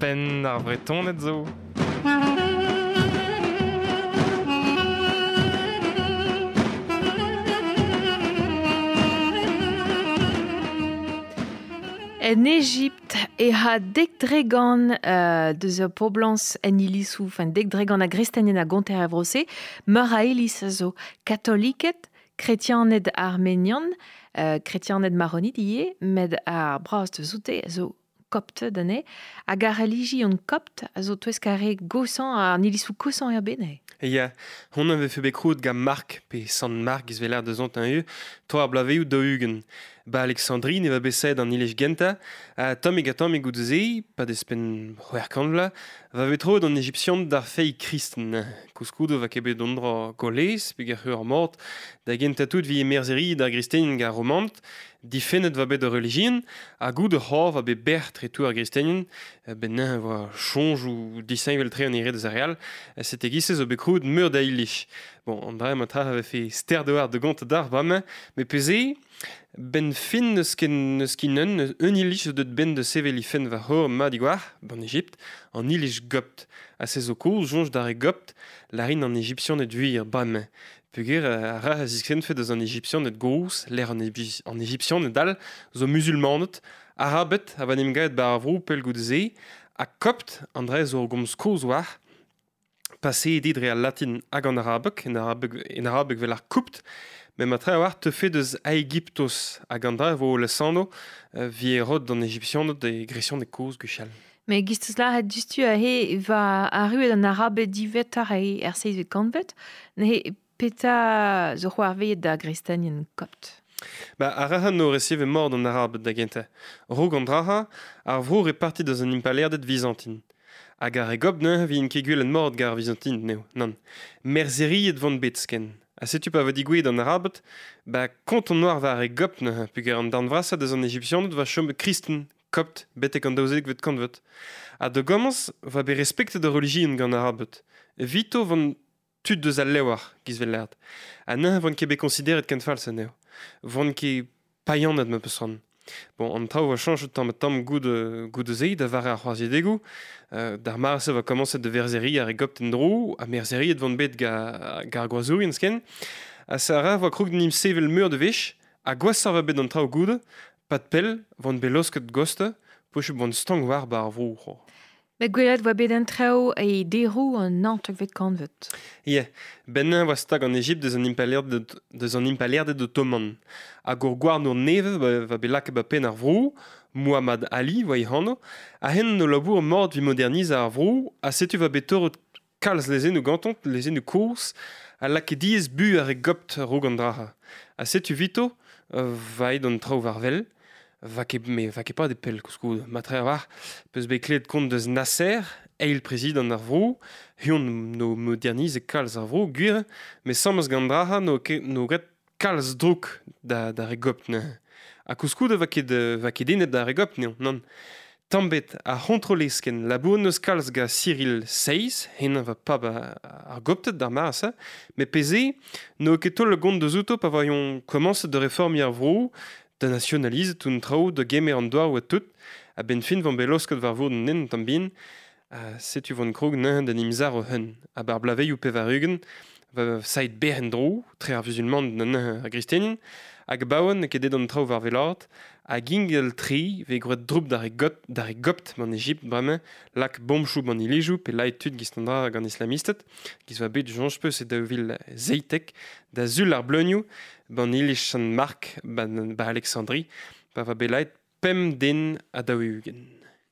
Penn ar Vretoned zo. En Ejipt e ha dek dregant deus ur poblañs en ilizoù, enfin dek dregant a gristenien a gonter er vro-se, meur a iliz a zo katoliked, kretianed armenian, kretianed maronit ivez, met ar braz deus oute a zo kopted anezhe, hag ar relijion kopt a zo touesk ar re gosañ, an ilizoù kosañ er bed neuze. Ya, hon a vefe bet krouet gant Mark, pe Sant Mark giz 'vel deus an eu, toa ar blaveioù 40. Ba Alexandrie ne va bet saet an iliz gentañ, ha tammig ha tammig goude-se, pa despenn 600 vloaz, va bet troet an Ejipsian d'ar feiz kristen. Koulskoude va ket bet an dra golez, peogwir ar mort, da gentañ tout vi merzheri d'ar gristenien gant ar Romaned, difennet va bet ar relijion, ha goude c'hor va bet bec'h tre tout ar gristenien, ben neuze voa soñjoù disheñvel-tre an ere deus ar re all, sete giz-se zo bet krouet meur da iliz. Bon, an dra ma tra vefe ster d'oar de gont d'ar bremañ, met pe-se, ben fin n'eus ken n'eus ket un iliz zo deut benn da sevel he fenn war c'horr mat diwar, ban Ejipt, an iliz gopt. Ha se zo kozh soñj d'ar re gopt, lârin an Ejipsianed gwir bremañ. Peogwir ar ra a ziskennfe deus an Ejipsianed gozh, lec'h an Ejipsianed all zo muzulmaned, Arabed a va 'n em gavet 'ba ar vro pell goude-se, ha kopt, an dra zo ur gomz kozh war, paseet eo dre al latin hag an arabeg, en arabeg 'vel ar koupt, met matre a-walc'h teufe deus Aegyptos hag an dra e vo lesanv vi rod d'an Ejipsianed e gresianeg kozh gwechall. Met giz 'teus lâret diouzhtu aze va arruet an Arabed diwezhatoc'h er seizhvet kantved, neuze petra zo c'hoarvezet da gristenien kopt? Ba ar arc'hant o reseve mort an Arabed da gentañ. Raok an dra-ha, ar vro repartit deus an impalaerded vizantin. Hag ar re gopt neuze vint ket gwelet mort gant ar Vizantin n'eo, nann. Merzheriet vont bet sken. Ha setu pa vo digouezhet an Arabed, ba kont on oar war ar re gopt neuze, peogwir an darn vrasañ deus an Ejipsianed va chom kristen, kopt, betek an 12vet kantved. Ha da gomañs va bet respektet ar relijion gant an Arabed. Evito vont tud deus al levr, giz 'vel lâret. Ha neuze vont ket bet konsideret ken falls anezho. Vont ket païaned ma peus c'hoant. Bon, an traoù a chañch tamm-ha-tamm goude-se da vare ar c'hoarzhidegoù. D'ar mare-se va komañset da verzheriñ ar re gopt en-dro, ha merzheriet vont bet gant ar gwazourien sken. Ha se a ra voa krog d'en em sevel meur da wech, ha gwashoc'h va bet an traoù goude, pad pell, vont bet laosket goste, poch vont stank war 'ba ar vro. Met gwelet oa bet an traoù e deroù an 19vet kantved. Ya, bennañ oa stag an Ejipt deus an impalaerded otoman. Hag ur gouarnour nevez va bet lakaet ba penn ar vro, Muhammad Ali oa e anv, ha hen o labour mort evit modernizañ ar vro, ha setu va bet torret kalz lezennoù gantañ, lezennoù kozh, ha lakaet diaes bu ar re gopt a-raok an dra-se. Ha setu 'vito va aet an traoù war wel. Va ket me va ket pas de pell koulskoude. Matre a-walc'h peus bet klevet kont deus Nasser, eil prezidant ar vro, huon no modernize kalz ar vro, gwir, met sammez gant dra no ket no graet kalz drouk da da re gopt neuze. Ha koulskoude va ket enep da re gopt n'eo, nann. Tamm bet ar c'hontroleskenn labour n'eus kalz gant Cyril Seiz, henañ va pab ar gopted d'ar mare-se, met pe-se n'eo ket taol gont deus outo pa voiont komañset da reformiñ ar vro, da nasionalizet un traoù da gemer an douar oa tout, a-benn fin vont bet laosket war vord an hent tamm bihan, ha setu vont krog neuze d'en imzar o hun. A-bar blaveioù 80, va saet berr en-dro, tre ar vuzulmaned neuze ar gristenien, hag abaoe n'eo ket aet an traoù war wellaat, hag ingal tre vez gwraet drouk d'ar re gopt man Ejipt bremañ, lak bomchoù ban ilizoù pe laet tud giz an dra gant islamisted, giz oa bet soñj peus e 2017, da sul ar bleunioù, ban iliz Sant-Mark, ban ba Alexandrie, pa va bet laet 5 den ha 40.